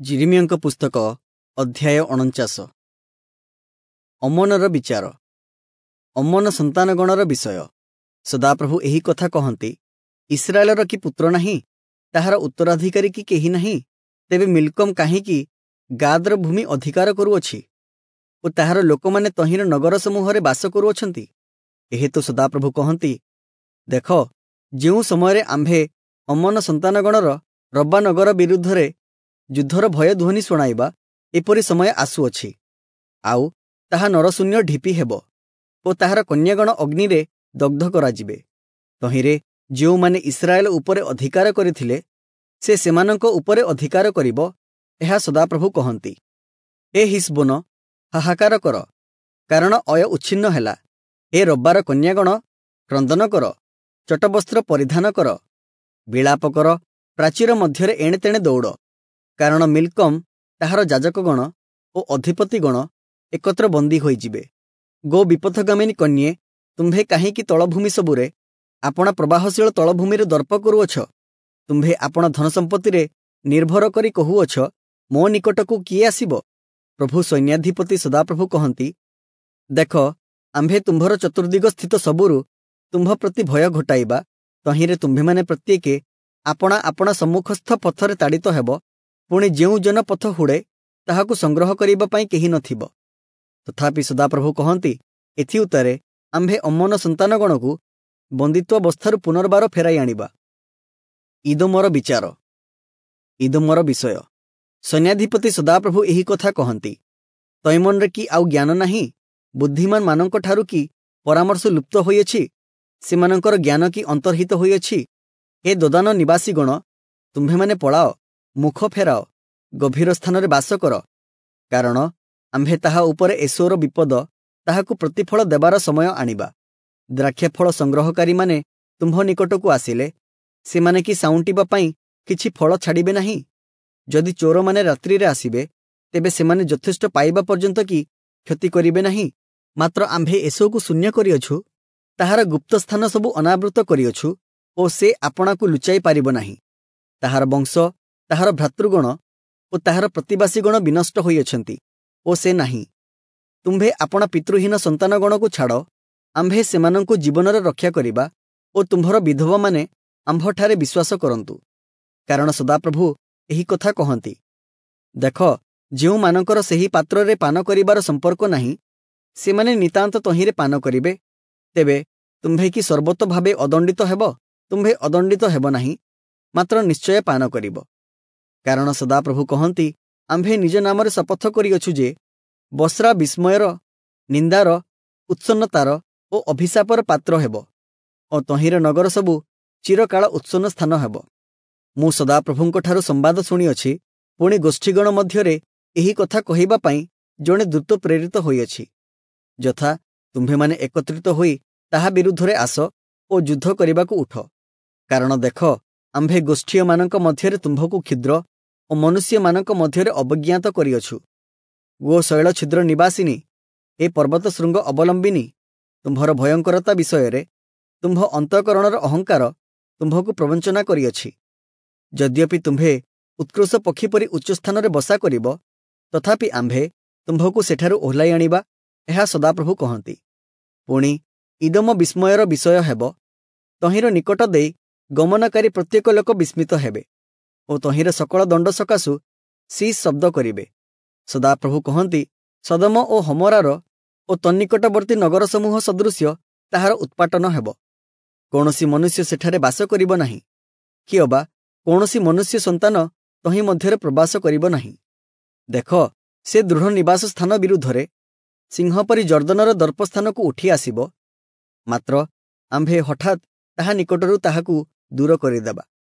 ଯିରିମିୟଙ୍କ ପୁସ୍ତକ ଅଧ୍ୟାୟ 49। ଅମ୍ମୋନର ବିଚାର। ଅମ୍ମୋନ ସନ୍ତାନଗଣର ବିଷୟ। ସଦାପ୍ରଭୁ ଏହି କଥା କହନ୍ତି, ଇସ୍ରାଏଲର କି ପୁତ୍ର ନାହିଁ? ତାହାର ଉତ୍ତରାଧିକାରୀ କି କେହି ନାହିଁ? ତେବେ ମିଲ୍କମ୍ କାହିଁକି ଗାଦର ଭୂମି ଅଧିକାର କରୁଅଛି ଓ ତାହାର ଲୋକମାନେ ତହିଁର ନଗର ସମୂହରେ ବାସ କରୁଅଛନ୍ତି? ଏହେତୁ ସଦାପ୍ରଭୁ କହନ୍ତି, ଦେଖ, ଯେଉଁ ସମୟରେ ଆମ୍ଭେ ଅମ୍ମୋନ ସନ୍ତାନଗଣର ରବ୍ବା ନଗର ବିରୁଦ୍ଧରେ ଯୁଦ୍ଧର ଭୟଧ୍ୱନି ଶୁଣାଇବା, ଏପରି ସମୟ ଆସୁଅଛି, ଆଉ ତାହା ନରଶୂନ୍ୟ ଢିପି ହେବ ଓ ତାହାର କନ୍ୟାଗଣ ଅଗ୍ନିରେ ଦଗ୍ଧ କରାଯିବେ। ତହିଁରେ ଯେଉଁମାନେ ଇସ୍ରାଏଲ ଉପରେ ଅଧିକାର କରିଥିଲେ, ସେ ସେମାନଙ୍କ ଉପରେ ଅଧିକାର କରିବ, ଏହା ସଦାପ୍ରଭୁ କହନ୍ତି। ଏ ହିସବୋନ, ହାହାକାର କର, କାରଣ ଅୟ ଉଚ୍ଛିନ୍ନ ହେଲା। ଏ ରବ୍ବାର କନ୍ୟାଗଣ, କ୍ରନ୍ଦନ କର, ଚଟବସ୍ତ୍ର ପରିଧାନ କର, ବିଳାପ କର, ପ୍ରାଚୀର ମଧ୍ୟରେ ଏଣେ ତେଣେ ଦୌଡ଼, କାରଣ ମିଲ୍କମ୍, ତାହାର ଯାଜକଗଣ ଓ ଅଧିପତିଗଣ ଏକତ୍ର ବନ୍ଦୀ ହୋଇଯିବେ। ଗୋ ବିପଥଗାମିନୀ କନ୍ୟେ, ତୁମ୍ଭେ କାହିଁକି ତଳଭୂମି ସବୁରେ ଆପଣା ପ୍ରବାହଶୀଳ ତଳଭୂମିରେ ଦର୍ପ କରୁଅଛ? ତୁମ୍ଭେ ଆପଣା ଧନସମ୍ପତ୍ତିରେ ନିର୍ଭର କରି କହୁଅଛ, ମୋ ନିକଟକୁ କିଏ ଆସିବ? ପ୍ରଭୁ ସୈନ୍ୟାଧିପତି ସଦାପ୍ରଭୁ କହନ୍ତି, ଦେଖ, ଆମ୍ଭେ ତୁମ୍ଭର ଚତୁର୍ଦିଗ ସ୍ଥିତ ସବୁରୁ ତୁମ୍ଭ ପ୍ରତି ଭୟ ଘଟାଇବା। ତହିଁରେ ତୁମ୍ଭେମାନେ ପ୍ରତ୍ୟେକେ ଆପଣା ଆପଣା ସମ୍ମୁଖସ୍ଥ ପଥରେ ତାଡ଼ିତ ହେବ, ପୁଣି ଯେଉଁ ଜନ ପଥ ହୁଡ଼େ ତାହାକୁ ସଂଗ୍ରହ କରିବା ପାଇଁ କେହି ନଥିବ। ତଥାପି ସଦାପ୍ରଭୁ କହନ୍ତି, ଏଥିଉତ୍ତାରେ ଆମ୍ଭେ ଅମ୍ମୋନ ସନ୍ତାନଗଣକୁ ବନ୍ଦିତ୍ୱାବସ୍ଥାରୁ ପୁନର୍ବାର ଫେରାଇ ଆଣିବା। ଇଦୋମର ବିଚାର। ଇଦୋମର ବିଷୟ। ସୈନ୍ୟାଧିପତି ସଦାପ୍ରଭୁ ଏହି କଥା କହନ୍ତି, ତୈମନରେ କି ଆଉ ଜ୍ଞାନ ନାହିଁ? ବୁଦ୍ଧିମାନମାନଙ୍କଠାରୁ କି ପରାମର୍ଶ ଲୁପ୍ତ ହୋଇଅଛି? ସେମାନଙ୍କର ଜ୍ଞାନ କି ଅନ୍ତର୍ହିତ ହୋଇଅଛି? ହେ ଦୋଦାନ ନିବାସୀଗଣ, ତୁମ୍ଭେମାନେ ପଳାଅ, ମୁଖ ଫେରାଅ, ଗଭୀର ସ୍ଥାନରେ ବାସ କର, କାରଣ ଆମ୍ଭେ ତାହା ଉପରେ ଏସୋର ବିପଦ, ତାହାକୁ ପ୍ରତିଫଳ ଦେବାର ସମୟ ଆଣିବା। ଦ୍ରାକ୍ଷାଫଳ ସଂଗ୍ରହକାରୀମାନେ ତୁମ୍ଭ ନିକଟକୁ ଆସିଲେ, ସେମାନେ କି ସାଉଁଟିବା ପାଇଁ କିଛି ଫଳ ଛାଡ଼ିବେ ନାହିଁ? ଯଦି ଚୋରମାନେ ରାତ୍ରିରେ ଆସିବେ, ତେବେ ସେମାନେ ଯଥେଷ୍ଟ ପାଇବା ପର୍ଯ୍ୟନ୍ତ କି କ୍ଷତି କରିବେ ନାହିଁ? ମାତ୍ର ଆମ୍ଭେ ଏସୋକୁ ଶୂନ୍ୟ କରିଅଛୁ, ତାହାର ଗୁପ୍ତ ସ୍ଥାନ ସବୁ ଅନାବୃତ କରିଅଛୁ ଓ ସେ ଆପଣାକୁ ଲୁଚାଇ ପାରିବ ନାହିଁ। ତାହାର ବଂଶ, ତାହାର ଭ୍ରାତୃଗଣ ଓ ତାହାର ପ୍ରତିବାସୀଗଣ ବିନଷ୍ଟ ହୋଇଅଛନ୍ତି ଓ ସେ ନାହିଁ। ତୁମ୍ଭେ ଆପଣା ପିତୃହୀନ ସନ୍ତାନଗଣକୁ ଛାଡ଼, ଆମ୍ଭେ ସେମାନଙ୍କୁ ଜୀବନରେ ରକ୍ଷା କରିବା ଓ ତୁମ୍ଭର ବିଧବାମାନେ ଆମ୍ଭଠାରେ ବିଶ୍ୱାସ କରନ୍ତୁ। କାରଣ ସଦାପ୍ରଭୁ ଏହି କଥା କହନ୍ତି, ଦେଖ, ଯେଉଁମାନଙ୍କର ସେହି ପାତ୍ରରେ ପାନ କରିବାର ସମ୍ପର୍କ ନାହିଁ, ସେମାନେ ନିତାନ୍ତ ତହିଁରେ ପାନ କରିବେ। ତେବେ ତୁମ୍ଭେ କି ସର୍ବତ ଭାବେ ଅଦଣ୍ଡିତ ହେବ? ତୁମ୍ଭେ ଅଦଣ୍ଡିତ ହେବ ନାହିଁ, ମାତ୍ର ନିଶ୍ଚୟ ପାନ କରିବ। କାରଣ ସଦାପ୍ରଭୁ କହନ୍ତି, ଆମ୍ଭେ ନିଜ ନାମରେ ଶପଥ କରିଅଛୁ ଯେ ବସ୍ରା ବିସ୍ମୟର, ନିନ୍ଦାର, ଉତ୍ସନ୍ନତାର ଓ ଅଭିଶାପର ପାତ୍ର ହେବ ଓ ତହିଁର ନଗର ସବୁ ଚିରକାଳ ଉତ୍ସନ୍ନ ସ୍ଥାନ ହେବ। ମୁଁ ସଦାପ୍ରଭୁଙ୍କଠାରୁ ସମ୍ବାଦ ଶୁଣିଅଛି, ପୁଣି ଗୋଷ୍ଠୀଗଣ ମଧ୍ୟରେ ଏହି କଥା କହିବା ପାଇଁ ଜଣେ ଦୂତ ପ୍ରେରିତ ହୋଇଅଛି, ଯଥା ତୁମ୍ଭେମାନେ ଏକତ୍ରିତ ହୋଇ ତାହା ବିରୁଦ୍ଧରେ ଆସ ଓ ଯୁଦ୍ଧ କରିବାକୁ ଉଠ। କାରଣ ଦେଖ, ଆମ୍ଭେ ଗୋଷ୍ଠୀୟମାନଙ୍କ ମଧ୍ୟରେ ତୁମ୍ଭକୁ କ୍ଷୁଦ୍ର ଓ ମନୁଷ୍ୟମାନଙ୍କ ମଧ୍ୟରେ ଅବଜ୍ଞାତ କରିଅଛୁ। ଗୋ ଶୈଳ ଛିଦ୍ର ନିବାସିନୀ, ଏ ପର୍ବତ ଶୃଙ୍ଗ ଅବଲମ୍ବିନୀ, ତୁମ୍ଭର ଭୟଙ୍କରତା ବିଷୟରେ ତୁମ୍ଭ ଅନ୍ତଃକରଣର ଅହଙ୍କାର ତୁମ୍ଭକୁ ପ୍ରବଞ୍ଚନା କରିଅଛି। ଯଦ୍ୟପି ତୁମ୍ଭେ ଉତ୍କୃଷ୍ଟ ପକ୍ଷୀ ପରି ଉଚ୍ଚସ୍ଥାନରେ ବସା କରିବ, ତଥାପି ଆମ୍ଭେ ତୁମ୍ଭକୁ ସେଠାରୁ ଓହ୍ଲାଇ ଆଣିବା, ଏହା ସଦାପ୍ରଭୁ କହନ୍ତି। ପୁଣି ଇଦୋମ ବିସ୍ମୟର ବିଷୟ ହେବ, ତହିଁର ନିକଟ ଦେଇ ଗମନକାରୀ ପ୍ରତ୍ୟେକ ଲୋକ ବିସ୍ମିତ ହେବେ ଓ ତହିଁର ସକଳ ଦଣ୍ଡ ସକାଶୁ ଶୀସ୍ ଶବ୍ଦ କରିବେ। ସଦାପ୍ରଭୁ କହନ୍ତି, ସଦମ ଓ ହମରାର ଓ ତନ୍ନିକଟବର୍ତ୍ତୀ ନଗର ସମୂହ ସଦୃଶ୍ୟ ତାହାର ଉତ୍ପାଟନ ହେବ। କୌଣସି ମନୁଷ୍ୟ ସେଠାରେ ବାସ କରିବ ନାହିଁ, କି ଅବା କୌଣସି ମନୁଷ୍ୟ ସନ୍ତାନ ତହିଁ ମଧ୍ୟରେ ପ୍ରବାସ କରିବ ନାହିଁ। ଦେଖ, ସେ ଦୃଢ଼ ନିବାସ ସ୍ଥାନ ବିରୁଦ୍ଧରେ ସିଂହ ପରି ଯର୍ଦ୍ଦନର ଦର୍ପସ୍ଥାନକୁ ଉଠି ଆସିବ, ମାତ୍ର ଆମ୍ଭେ ହଠାତ୍ ତାହା ନିକଟରୁ ତାହାକୁ ଦୂର କରିଦେବା।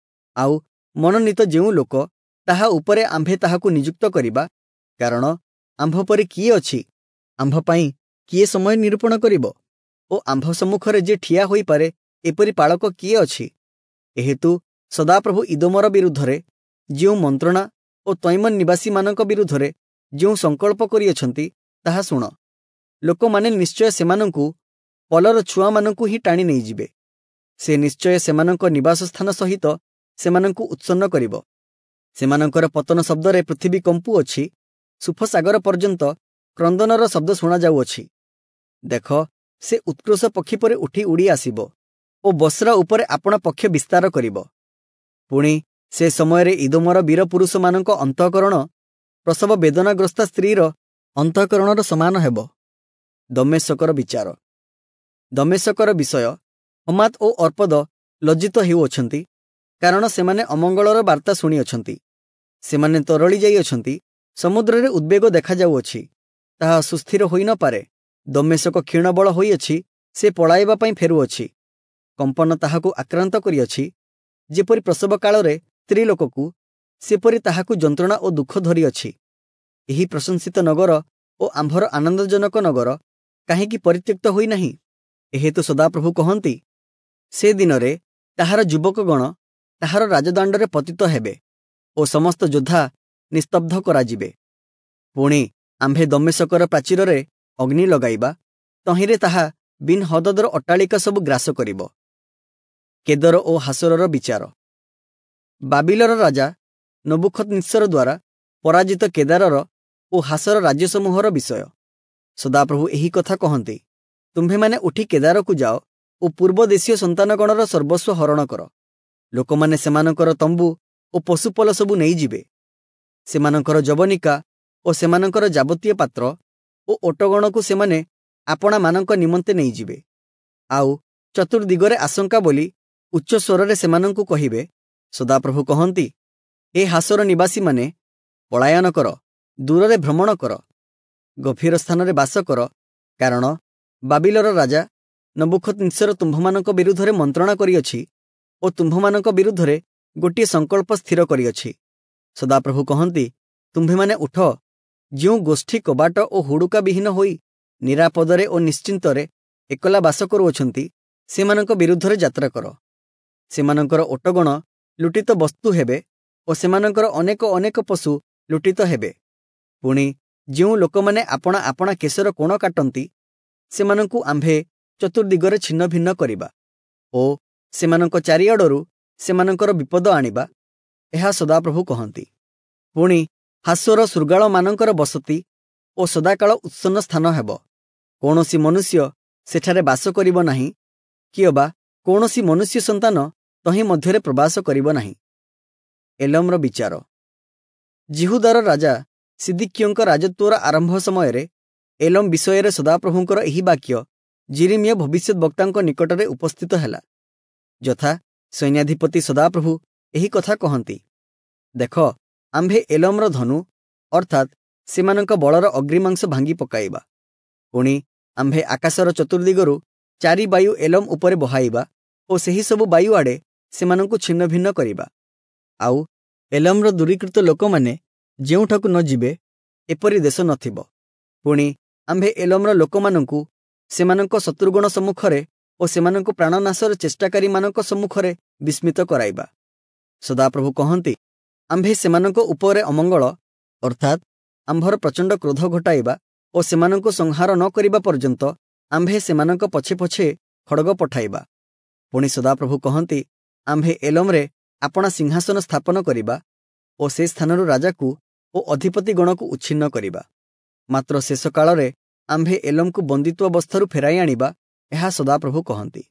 ଆଉ ମନୋନୀତ ଯେଉଁ ଲୋକ, ତାହା ଉପରେ ଆମ୍ଭେ ତାହାକୁ ନିଯୁକ୍ତ କରିବା, କାରଣ ଆମ୍ଭ ପରି କିଏ ଅଛି? ଆମ୍ଭ ପାଇଁ କିଏ ସମୟ ନିରୂପଣ କରିବ? ଓ ଆମ୍ଭ ସମ୍ମୁଖରେ ଯେ ଠିଆ ହୋଇପାରେ, ଏପରି ପାଳକ କିଏ ଅଛି? ଏହେତୁ ସଦାପ୍ରଭୁ ଇଦୋମର ବିରୁଦ୍ଧରେ ଯେଉଁ ମନ୍ତ୍ରଣା ଓ ତୈମନ ନିବାସୀମାନଙ୍କ ବିରୁଦ୍ଧରେ ଯେଉଁ ସଂକଳ୍ପ କରିଅଛନ୍ତି, ତାହା ଶୁଣ। ଲୋକମାନେ ନିଶ୍ଚୟ ସେମାନଙ୍କୁ ପଲର ଛୁଆମାନଙ୍କୁ ହିଁ ଟାଣି ନେଇଯିବେ। ସେ ନିଶ୍ଚୟ ସେମାନଙ୍କ ନିବାସ ସ୍ଥାନ ସହିତ ସେମାନଙ୍କୁ ଉତ୍ସନ୍ନ କରିବ। ସେମାନଙ୍କର ପତନ ଶବ୍ଦରେ ପୃଥିବୀ କମ୍ପୁଅଛି, ସୁଫସାଗର ପର୍ଯ୍ୟନ୍ତ କ୍ରନ୍ଦନର ଶବ୍ଦ ଶୁଣାଯାଉଅଛି। ଦେଖ, ସେ ଉତ୍କ୍ରୋଶ ପକ୍ଷୀ ପରି ଉଠି ଉଡ଼ି ଆସିବ ଓ ବସ୍ରା ଉପରେ ଆପଣା ପକ୍ଷ ବିସ୍ତାର କରିବ। ପୁଣି ସେ ସମୟରେ ଇଦୋମର ବୀର ପୁରୁଷମାନଙ୍କ ଅନ୍ତଃକରଣ ପ୍ରସବ ବେଦନାଗ୍ରସ୍ତା ସ୍ତ୍ରୀର ଅନ୍ତଃକରଣର ସମାନ ହେବ। ଦମ୍ମେଶକର ବିଚାର। ଦମ୍ମେଶକର ବିଷୟ ହମାତ ଓ ଅର୍ପଦ ଲଜ୍ଜିତ ହେଉଅଛନ୍ତି, କାରଣ ସେମାନେ ଅମଙ୍ଗଳର ବାର୍ତ୍ତା ଶୁଣିଅଛନ୍ତି। ସେମାନେ ତରଳି ଯାଇଅଛନ୍ତି, ସମୁଦ୍ରରେ ଉଦ୍ବେଗ ଦେଖାଯାଉଅଛି, ତାହା ସୁସ୍ଥିର ହୋଇନପାରେ। ଦମ୍ମେଶକ କ୍ଷୀଣବଳ ହୋଇଅଛି, ସେ ପଳାଇବା ପାଇଁ ଫେରୁଅଛି। କମ୍ପନ ତାହାକୁ ଆକ୍ରାନ୍ତ କରିଅଛି, ଯେପରି ପ୍ରସବ କାଳରେ ସ୍ତ୍ରୀ ଲୋକକୁ, ସେପରି ତାହାକୁ ଯନ୍ତ୍ରଣା ଓ ଦୁଃଖ ଧରିଅଛି। ଏହି ପ୍ରଶଂସିତ ନଗର ଓ ଆମ୍ଭର ଆନନ୍ଦଜନକ ନଗର କାହିଁକି ପରିତ୍ୟକ୍ତ ହୋଇନାହିଁ? ଏହେତୁ ସଦାପ୍ରଭୁ କହନ୍ତି, ସେ ଦିନରେ ତାହାର ଯୁବକଗଣ ତାହାର ରାଜଦାଣ୍ଡରେ ପତିତ ହେବେ ଓ ସମସ୍ତ ଯୋଦ୍ଧା ନିସ୍ତବ୍ଧ କରାଯିବେ। ପୁଣି ଆମ୍ଭେ ଦମ୍ମେଶକର ପ୍ରାଚୀରରେ ଅଗ୍ନି ଲଗାଇବା, ତହିଁରେ ତାହା ବିନ୍ ହଦଦର ଅଟ୍ଟାଳିକା ସବୁ ଗ୍ରାସ କରିବ। କେଦର ଓ ହାସରର ବିଚାର। ବାବିଲର ରାଜା ନବୁଖଦନିତ୍ସର ଦ୍ୱାରା ପରାଜିତ କେଦାରର ଓ ହାସର ରାଜ୍ୟସମୂହର ବିଷୟ। ସଦାପ୍ରଭୁ ଏହି କଥା କହନ୍ତି, ତୁମ୍ଭେମାନେ ଉଠି କେଦାରକୁ ଯାଅ ଓ ପୂର୍ବ ଦେଶୀୟ ସନ୍ତାନଗଣର ସର୍ବସ୍ୱ ହରଣ କର। ଲୋକମାନେ ସେମାନଙ୍କର ତମ୍ବୁ ଓ ପଶୁପଲ ସବୁ ନେଇଯିବେ। ସେମାନଙ୍କର ଯବନିକା ଓ ସେମାନଙ୍କର ଯାବତୀୟ ପାତ୍ର ଓ ଓଟଗଣକୁ ସେମାନେ ଆପଣାମାନଙ୍କ ନିମନ୍ତେ ନେଇଯିବେ। ଆଉ ଚତୁର୍ଦିଗରେ ଆଶଙ୍କା ବୋଲି ଉଚ୍ଚ ସ୍ୱରରେ ସେମାନଙ୍କୁ କହିବେ, ସଦାପ୍ରଭୁ କହନ୍ତି, ଏ ହାସର ନିବାସୀମାନେ ପଳାୟନ କର, ଦୂରରେ ଭ୍ରମଣ କର, ଗଭୀର ସ୍ଥାନରେ ବାସ କର, କାରଣ ବାବିଲର ରାଜା ନବୁଖଦନିତ୍ସର ତୁମ୍ଭମାନଙ୍କ ବିରୁଦ୍ଧରେ ମନ୍ତ୍ରଣା କରିଅଛି ଓ ତୁମ୍ଭମାନଙ୍କ ବିରୁଦ୍ଧରେ ଗୋଟିଏ ସଂକଳ୍ପ ସ୍ଥିର କରିଅଛି। ସଦାପ୍ରଭୁ କହନ୍ତି, ତୁମ୍ଭେମାନେ ଉଠ, ଯେଉଁ ଗୋଷ୍ଠୀ କବାଟ ଓ ହୁଡ଼ୁକା ବିହୀନ ହୋଇ ନିରାପଦରେ ଓ ନିଶ୍ଚିନ୍ତରେ ଏକଲା ବାସ କରୁଅଛନ୍ତି, ସେମାନଙ୍କ ବିରୁଦ୍ଧରେ ଯାତ୍ରା କର। ସେମାନଙ୍କର ଓଟଗଣ ଲୁଟିତ ବସ୍ତୁ ହେବେ ଓ ସେମାନଙ୍କର ଅନେକ ଅନେକ ପଶୁ ଲୁଟିତ ହେବେ। ପୁଣି ଯେଉଁ ଲୋକମାନେ ଆପଣା ଆପଣା କେଶର କୋଣ କାଟନ୍ତି, ସେମାନଙ୍କୁ ଆମ୍ଭେ ଚତୁର୍ଦିଗରେ ଛିନ୍ନ ଭିନ୍ନ କରିବା ଓ ସେମାନଙ୍କ ଚାରିଆଡ଼ରୁ ସେମାନଙ୍କର ବିପଦ ଆଣିବା, ଏହା ସଦାପ୍ରଭୁ କହନ୍ତି। ପୁଣି ହାସୋର ଶୃଗାଳମାନଙ୍କର ବସତି ଓ ସଦାକାଳ ଉତ୍ସନ୍ନ ସ୍ଥାନ ହେବ। କୌଣସି ମନୁଷ୍ୟ ସେଠାରେ ବାସ କରିବ ନାହିଁ, କିଅବା କୌଣସି ମନୁଷ୍ୟ ସନ୍ତାନ ତହିଁ ମଧ୍ୟରେ ପ୍ରବାସ କରିବ ନାହିଁ। ଏଲମର ବିଚାର। ଯିହୁଦାର ରାଜା ସିଦିକିୟଙ୍କ ରାଜତ୍ୱର ଆରମ୍ଭ ସମୟରେ ଏଲମ ବିଷୟରେ ସଦାପ୍ରଭୁଙ୍କର ଏହି ବାକ୍ୟ ଯିରିମିୟ ଭବିଷ୍ୟଦ୍‌ବକ୍ତାଙ୍କ ନିକଟରେ ଉପସ୍ଥିତ ହେଲା। ଯଥା ସୈନ୍ୟାଧିପତି ସଦାପ୍ରଭୁ ଏହି କଥା କହନ୍ତି, ଦେଖ, ଆମ୍ଭେ ଏଲମର ଧନୁ ଅର୍ଥାତ୍ ସେମାନଙ୍କ ବଳର ଅଗ୍ରିମାଂସ ଭାଙ୍ଗି ପକାଇବା। ପୁଣି ଆମ୍ଭେ ଆକାଶର ଚତୁର୍ଦିଗରୁ ଚାରି ବାୟୁ ଏଲମ ଉପରେ ବହାଇବା ଓ ସେହି ସବୁ ବାୟୁ ଆଡ଼େ ସେମାନଙ୍କୁ ଛିନ୍ନ ଭିନ୍ନ କରିବା। ଆଉ ଏଲମର ଦୂରୀକୃତ ଲୋକମାନେ ଯେଉଁଠାକୁ ନ ଯିବେ, ଏପରି ଦେଶ ନଥିବ। ପୁଣି ଆମ୍ଭେ ଏଲମର ଲୋକମାନଙ୍କୁ ସେମାନଙ୍କ ଶତ୍ରୁଗଣ ସମ୍ମୁଖରେ ଓ ସେମାନଙ୍କୁ ପ୍ରାଣନାଶର ଚେଷ୍ଟାକାରୀମାନଙ୍କ ସମ୍ମୁଖରେ ବିସ୍ମିତ କରାଇବା। ସଦାପ୍ରଭୁ କହନ୍ତି, ଆମ୍ଭେ ସେମାନଙ୍କ ଉପରେ ଅମଙ୍ଗଳ ଅର୍ଥାତ୍ ଆମ୍ଭର ପ୍ରଚଣ୍ଡ କ୍ରୋଧ ଘଟାଇବା ଓ ସେମାନଙ୍କୁ ସଂହାର ନ କରିବା ପର୍ଯ୍ୟନ୍ତ ଆମ୍ଭେ ସେମାନଙ୍କ ପଛେ ପଛେ ଖଡ଼ଗ ପଠାଇବା। ପୁଣି ସଦାପ୍ରଭୁ କହନ୍ତି, ଆମ୍ଭେ ଏଲମରେ ଆପଣା ସିଂହାସନ ସ୍ଥାପନ କରିବା ଓ ସେ ସ୍ଥାନରୁ ରାଜାକୁ ଓ ଅଧିପତିଗଣକୁ ଉଚ୍ଛିନ୍ନ କରିବା। ମାତ୍ର ଶେଷ କାଳରେ ଆମ୍ଭେ ଏଲମକୁ ବନ୍ଦିତ୍ୱାବସ୍ଥାରୁ ଫେରାଇ ଆଣିବା, ଏହା ସଦାପ୍ରଭୁ କହନ୍ତି।